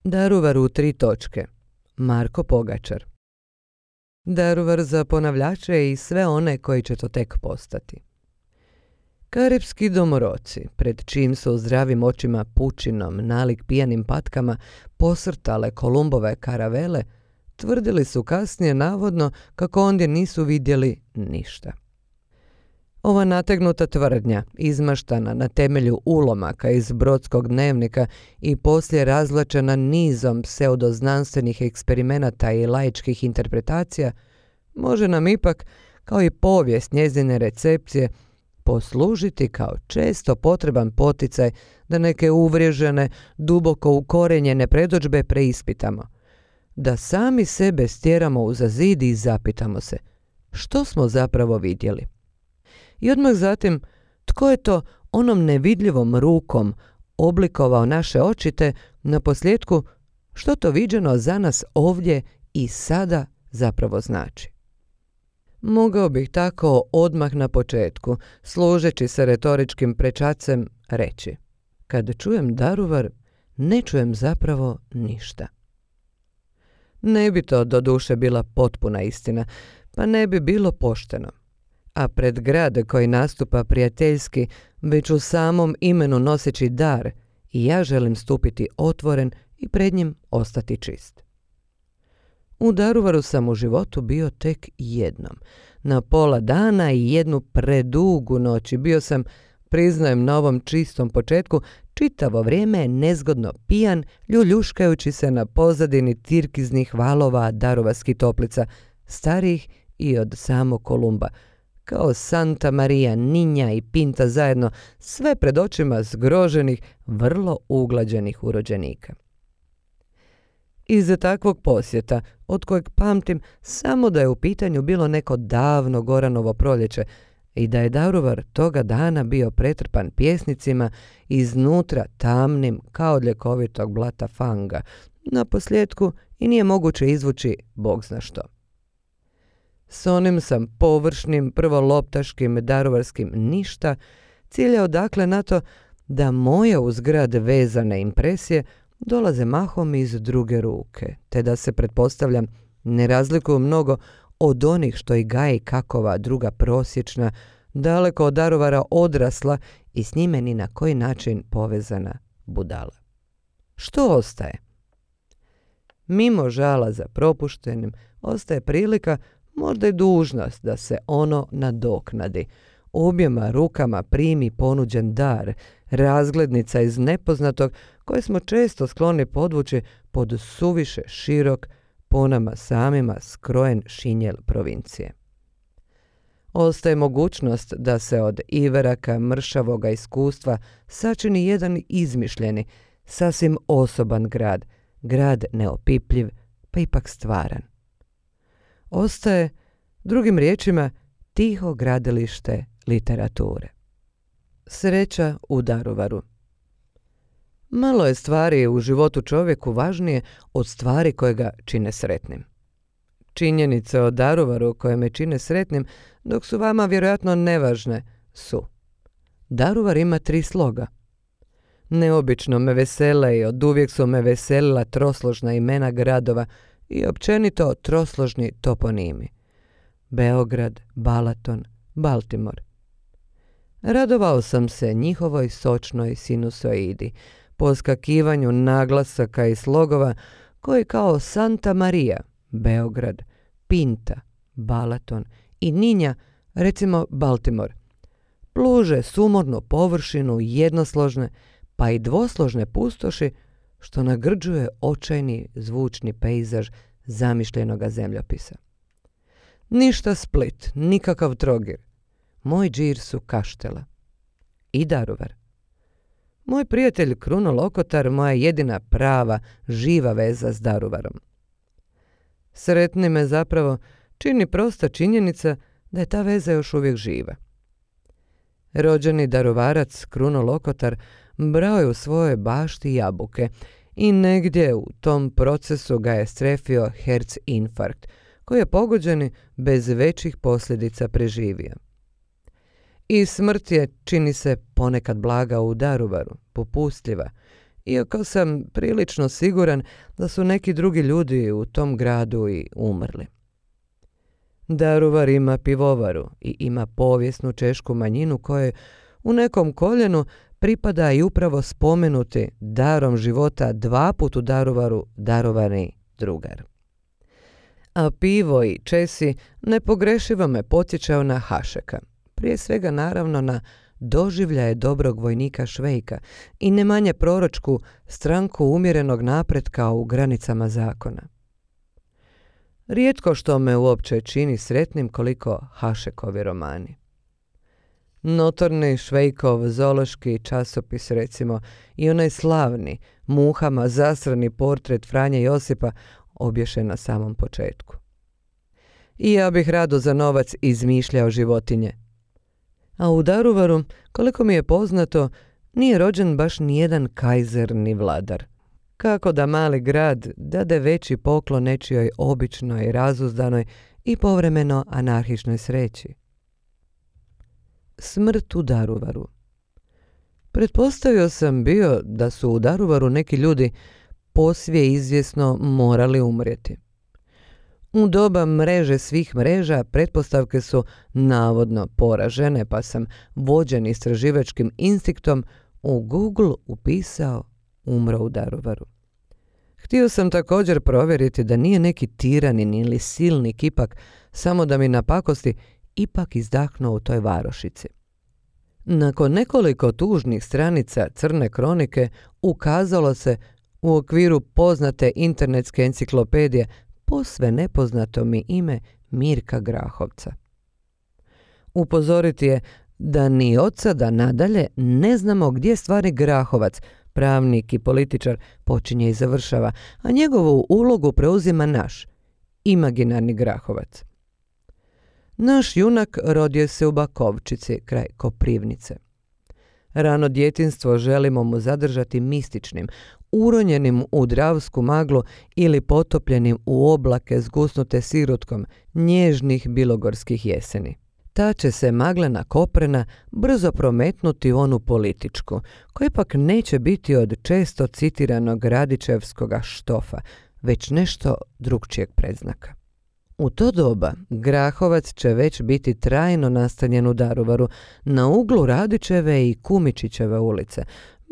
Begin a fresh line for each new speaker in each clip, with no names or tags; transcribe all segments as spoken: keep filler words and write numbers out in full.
Daruvar u tri točke. Marko Pogačar. Daruvar za ponavljače i sve one koji će to tek postati. Karipski domoroci, pred čim su zdravim očima pučinom, nalik pijanim patkama, posrtale Kolumbove karavele, tvrdili su kasnije navodno kako ondje nisu vidjeli ništa. Ova nategnuta tvrdnja, izmaštana na temelju ulomaka iz Brodskog dnevnika i poslije razvlačena nizom pseudoznanstvenih eksperimenata i laičkih interpretacija, može nam ipak, kao i povijest njezine recepcije, poslužiti kao često potreban poticaj da neke uvriježene, duboko ukorenjene predodžbe preispitamo. Da sami sebe stjeramo uza zid i zapitamo se što smo zapravo vidjeli. I odmah zatim, tko je to onom nevidljivom rukom oblikovao naše očite, na posljedku što to viđeno za nas ovdje i sada zapravo znači. Mogao bih tako odmah na početku, služeći se retoričkim prečacem, reći: kad čujem Daruvar, ne čujem zapravo ništa. Ne bi to doduše bila potpuna istina, pa ne bi bilo pošteno. A pred grad koji nastupa prijateljski, već u samom imenu noseći dar, i ja želim stupiti otvoren i pred njim ostati čist. U Daruvaru sam u životu bio tek jednom. Na pola dana i jednu predugu noć bio sam, priznajem na ovom čistom početku, čitavo vrijeme nezgodno pijan, ljuljuškajući se na pozadini tirkiznih valova Daruvarskih toplica, starijih i od samog Kolumba, kao Santa Maria, Ninja i Pinta zajedno, sve pred očima zgroženih, vrlo uglađenih urođenika. Iza takvog posjeta, od kojeg pamtim samo da je u pitanju bilo neko davno Goranovo proljeće i da je Daruvar toga dana bio pretrpan pjesnicima, iznutra tamnim kao od ljekovitog blata fanga, na posljedku i nije moguće izvući bog zna što. S onim sam površnim, prvoloptaškim daruvarskim ništa ciljao dakle na to da moje uz grad vezane impresije dolaze mahom iz druge ruke, te da se, pretpostavljam, ne razlikuju mnogo od onih što i gaji kakova druga prosječna, daleko od Daruvara odrasla i s njime ni na koji način povezana budala. Što ostaje? Mimo žala za propuštenim, ostaje prilika, možda i dužnost da se ono nadoknadi. Objema rukama primi ponuđen dar, razglednica iz nepoznatog koje smo često skloni podvući pod suviše širok, po nama samima skrojen šinjel provincije. Ostaje mogućnost da se od iveraka mršavoga iskustva sačini jedan izmišljeni, sasvim osoban grad, grad neopipljiv, pa ipak stvaran. Ostaje, drugim riječima, tiho gradilište literature. Sreća u Daruvaru. Malo je stvari u životu čovjeku važnije od stvari koje ga čine sretnim. Činjenice o Daruvaru koje me čine sretnim, dok su vama vjerojatno nevažne, su: Daruvar ima tri sloga. Neobično me vesele i oduvijek su me veselila trosložna imena gradova i općenito trosložni toponimi: Beograd, Balaton, Baltimore. Radovao sam se njihovoj sočnoj sinusoidi, poskakivanju naglasaka i slogova koji kao Santa Maria, Beograd, Pinta, Balaton i Ninja, recimo Baltimore, pluže sumornu površinu jednosložne pa i dvosložne pustoši, što nagrđuje očajni zvučni pejzaž zamišljenoga zemljopisa. Ništa Split, nikakav Trogir. Moj džir su Kaštela. I Daruvar. Moj prijatelj Kruno Lokotar, moja jedina prava, živa veza s Daruvarom. Sretni me zapravo čini prosta činjenica da je ta veza još uvijek živa. Rođeni Daruvarac Kruno Lokotar brao je u svojoj bašti jabuke i negdje u tom procesu ga je strefio herc infarkt, koji je pogođeni bez većih posljedica preživio. I smrt je, čini se, ponekad blaga u Daruvaru, popustljiva, iako sam prilično siguran da su neki drugi ljudi u tom gradu i umrli. Daruvar ima pivovaru i ima povijesnu češku manjinu koje u nekom koljenu pripada i upravo spomenuti darom života dva put u Daruvaru darovani drugar. A pivo i Česi nepogrešivo me podsjećao na Hašeka, prije svega naravno na doživljaje dobrog vojnika Švejka i ne manje proročku stranku umjerenog napretka u granicama zakona. Rijetko što me uopće čini sretnim koliko Hašekovi romani. Notorni Švejkov zoološki časopis recimo i onaj slavni, muhama zasrani portret Franje Josipa obješen na samom početku. I ja bih rado za novac izmišljao životinje. A u Daruvaru, koliko mi je poznato, nije rođen baš nijedan kajzer ni vladar. Kako da mali grad dade veći poklon nečijoj običnoj, razuzdanoj i povremeno anarhičnoj sreći. Smrt u Daruvaru. Pretpostavio sam bio da su u Daruvaru neki ljudi posvije izvjesno morali umrijeti. U doba mreže svih mreža pretpostavke su navodno poražene, pa sam vođen istraživačkim instinktom u Google upisao umro u Daruvaru. Htio sam također provjeriti da nije neki tiranin ili silnik ipak, samo da mi napakosti, ipak izdahnuo u toj varošici. Nakon nekoliko tužnih stranica crne kronike ukazalo se u okviru poznate internetske enciklopedije posve nepoznato mi ime Mirka Grahovca. Upozoriti je da ni od sada nadalje ne znamo gdje stvari Grahovac, pravnik i političar, počinje i završava, a njegovu ulogu preuzima naš, imaginarni Grahovac. Naš junak rodio se u Bakovčici, kraj Koprivnice. Rano djetinjstvo želimo mu zadržati mističnim, uronjenim u dravsku maglu ili potopljenim u oblake zgusnute sirotkom nježnih bilogorskih jeseni. Ta će se maglena koprena brzo prometnuti u onu političku, koja ipak neće biti od često citiranog Radičevskoga štofa, već nešto drugčijeg predznaka. U to doba Grahovac će već biti trajno nastanjen u Daruvaru na uglu Radičeve i Kumičićeve ulice,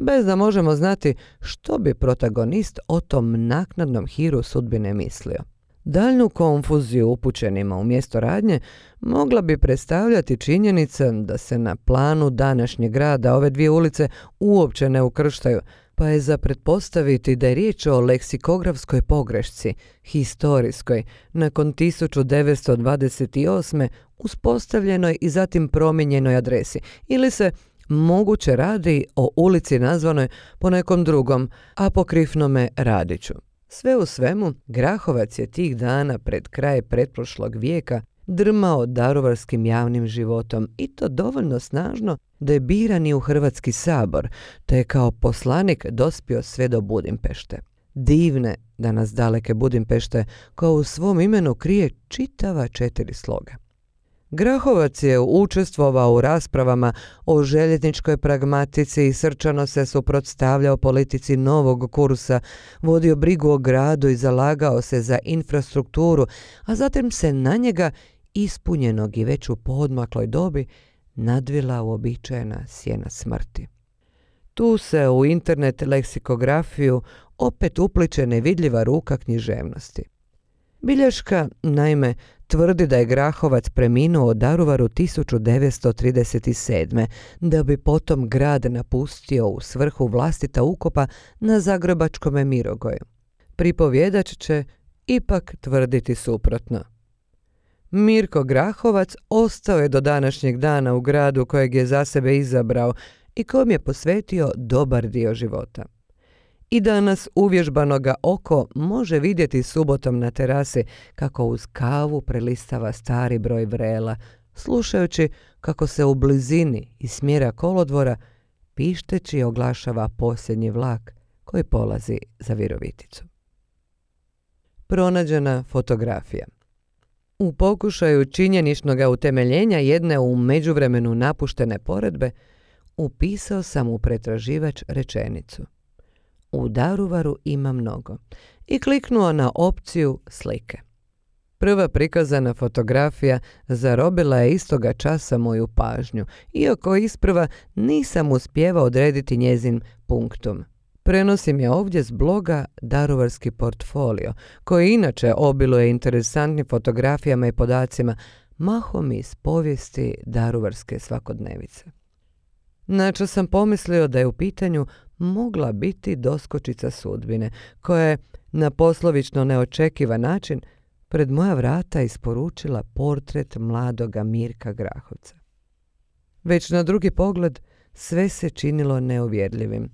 bez da možemo znati što bi protagonist o tom naknadnom hiru sudbine mislio. Daljnju konfuziju upućenima u mjesto radnje mogla bi predstavljati činjenica da se na planu današnjeg grada ove dvije ulice uopće ne ukrštaju, pa je za pretpostaviti da je riječ o leksikografskoj pogrešci, historijskoj, nakon tisuću devetsto dvadeset osme uspostavljenoj i zatim promijenjenoj adresi, ili se moguće radi o ulici nazvanoj po nekom drugom, apokrifnome Radiću. Sve u svemu, Grahovac je tih dana pred kraj pretprošlog vijeka drmao daruvarskim javnim životom i to dovoljno snažno da je biran i u Hrvatski sabor, te je kao poslanik dospio sve do Budimpešte. Divne danas daleke Budimpešte koja u svom imenu krije čitava četiri sloga. Grahovac je učestvovao u raspravama o željezničkoj pragmatici i srčano se suprotstavljao politici novog kursa, vodio brigu o gradu i zalagao se za infrastrukturu, a zatim se na njega, ispunjenog i već u poodmakloj dobi, nadvila uobičajena sjena smrti. Tu se u internet leksikografiju opet upliče nevidljiva ruka književnosti. Bilješka, naime, tvrdi da je Grahovac preminuo u Daruvaru tisuću devetsto trideset sedme, da bi potom grad napustio u svrhu vlastita ukopa na Zagrebačkome Mirogoju. Pripovjedač će ipak tvrditi suprotno. Mirko Grahovac ostao je do današnjeg dana u gradu kojeg je za sebe izabrao i kojem je posvetio dobar dio života. I danas uvježbanoga oko može vidjeti subotom na terasi kako uz kavu prelistava stari broj vrela, slušajući kako se u blizini iz smjera kolodvora pišteći oglašava posljednji vlak koji polazi za Viroviticu. Pronađena fotografija. U pokušaju činjeničnog utemeljenja jedne u međuvremenu napuštene poredbe upisao sam u pretraživač rečenicu: u Daruvaru ima mnogo i kliknuo na opciju slike. Prva prikazana fotografija zarobila je istoga časa moju pažnju, iako isprva nisam uspjevao odrediti njezin punktum. Prenosim je ovdje s bloga Daruvarski portfolio, koji inače obiluje interesantnim fotografijama i podacima, mahom iz povijesti daruvarske svakodnevice. Načas sam pomislio da je u pitanju mogla biti doskočica sudbine, koja je na poslovično neočekivan način pred moja vrata isporučila portret mladoga Mirka Grahovca. Već na drugi pogled sve se činilo neuvjerljivim.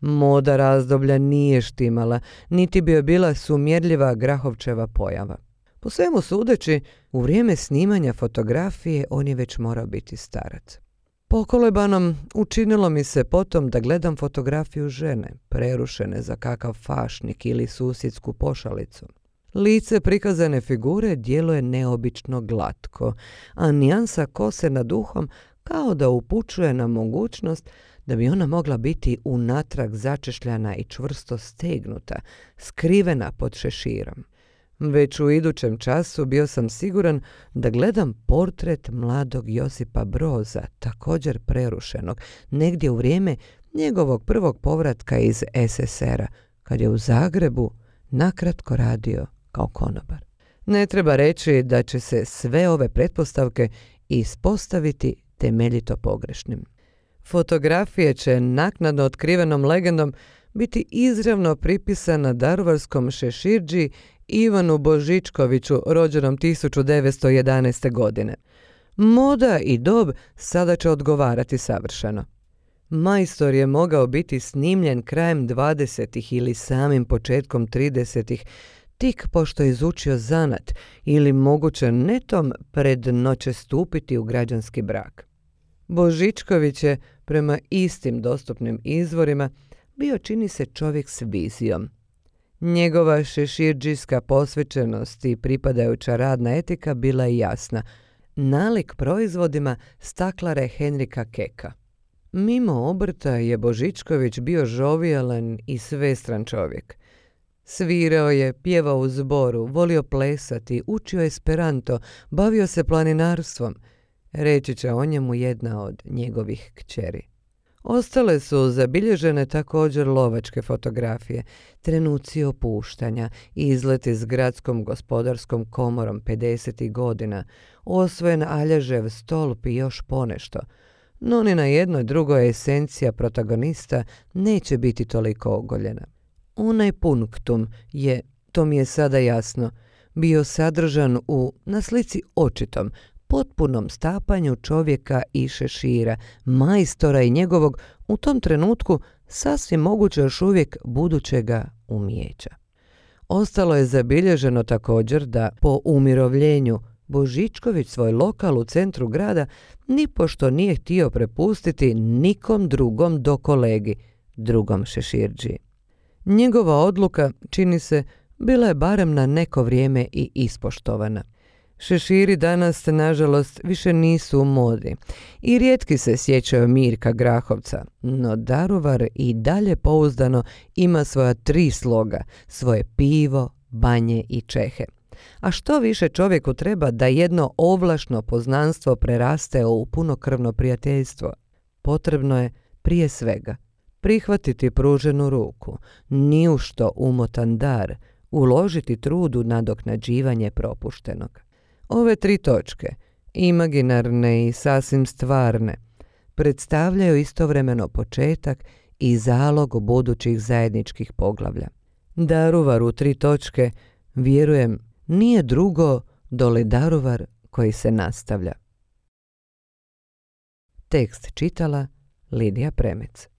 Moda razdoblja nije štimala, niti bi joj bila sumjerljiva Grahovčeva pojava. Po svemu sudeći, u vrijeme snimanja fotografije on je već morao biti starac. Pokolebanom učinilo mi se potom da gledam fotografiju žene, prerušene za kakav fašnik ili susjedsku pošalicu. Lice prikazane figure djeluje neobično glatko, a nijansa kose nad uhom kao da upućuje na mogućnost da bi ona mogla biti unatrag začešljana i čvrsto stegnuta, skrivena pod šeširom. Već u idućem času bio sam siguran da gledam portret mladog Josipa Broza, također prerušenog, negdje u vrijeme njegovog prvog povratka iz es es era, kad je u Zagrebu nakratko radio kao konobar. Ne treba reći da će se sve ove pretpostavke ispostaviti temeljito pogrešnim. Fotografije će naknadno otkrivenom legendom biti izravno pripisana daruvarskom šeširđi Ivanu Božičkoviću, rođenom tisuću devetsto jedanaeste. godine. Moda i dob sada će odgovarati savršeno. Majstor je mogao biti snimljen krajem dvadesetih ili samim početkom tridesetih, tik pošto je izučio zanat ili moguće netom pred noće stupiti u građanski brak. Božičković je, prema istim dostupnim izvorima, bio čini se čovjek s vizijom. Njegova šeširđijska posvećenost i pripadajuća radna etika bila je jasna, nalik proizvodima staklare Henrika Keka. Mimo obrta je Božičković bio žovijalan i svestran čovjek. Svirao je, pjevao u zboru, volio plesati, učio esperanto, bavio se planinarstvom. Reći će o njemu jedna od njegovih kćeri. Ostale su zabilježene također lovačke fotografije, trenuci opuštanja, izleti s gradskom gospodarskom komorom pedesetih godina, osvojen Aljažev stolp i još ponešto. No ni na jednoj drugoj esencija protagonista neće biti toliko ogoljena. Onaj punktum je, to mi je sada jasno, bio sadržan u, na slici očitom, potpunom stapanju čovjeka i šešira, majstora i njegovog, u tom trenutku sasvim moguće još uvijek budućega umijeća. Ostalo je zabilježeno također da po umirovljenju Božičković svoj lokal u centru grada nipošto nije htio prepustiti nikom drugom do kolegi, drugom šeširđiji. Njegova odluka, čini se, bila je barem na neko vrijeme i ispoštovana. Šeširi danas, nažalost, više nisu u modi i rijetki se sjećaju Mirka Grahovca, no Daruvar i dalje pouzdano ima svoja tri sloga, svoje pivo, banje i čehe. A što više čovjeku treba da jedno ovlašno poznanstvo preraste u punokrvno prijateljstvo? Potrebno je, prije svega, prihvatiti pruženu ruku, ni u što umotan dar, uložiti trud u nadoknađivanje propuštenog. Ove tri točke, imaginarne i sasvim stvarne, predstavljaju istovremeno početak i zalog budućih zajedničkih poglavlja. Daruvar u tri točke, vjerujem, nije drugo doli Daruvar koji se nastavlja. Tekst čitala Lidija Premec.